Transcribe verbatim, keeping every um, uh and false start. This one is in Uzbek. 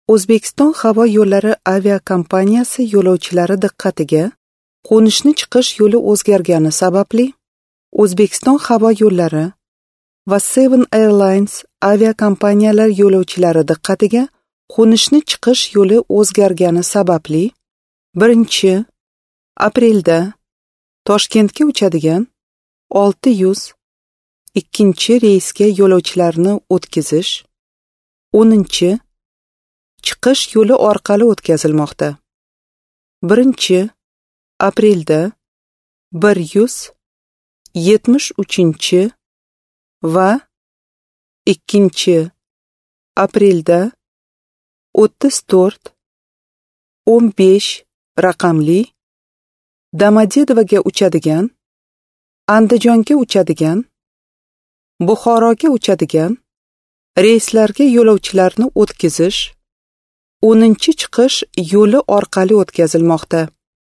O'zbekiston havo yo'llari aviakompaniyasi yo'lovchilari diqqatiga qo'nishni chiqish yo'li o'zgargani sababli O'zbekiston havo yo'llari va Seven Airlines aviakompaniyalar yo'lovchilari diqqatiga qo'nishni chiqish yo'li o'zgargani sababli birinchi aprelda Toshkentga uchadigan olti yuz ikkinchi reysga yo'lovchilarni o'tkazish o'ninchi chiqish yo'li orqali o'tkazilmoqda. birinchi aprelda bir yuz yetmish uchinchi va ikkinchi aprelda o'ttiz to'rt o'n besh raqamli Domodedovoga uchadigan, Andijonga uchadigan, Buxoroga uchadigan reyslarga yo'lovchilarni o'tkazish o'ninchi chiqish yo'li orqali o'tkazilmoqda.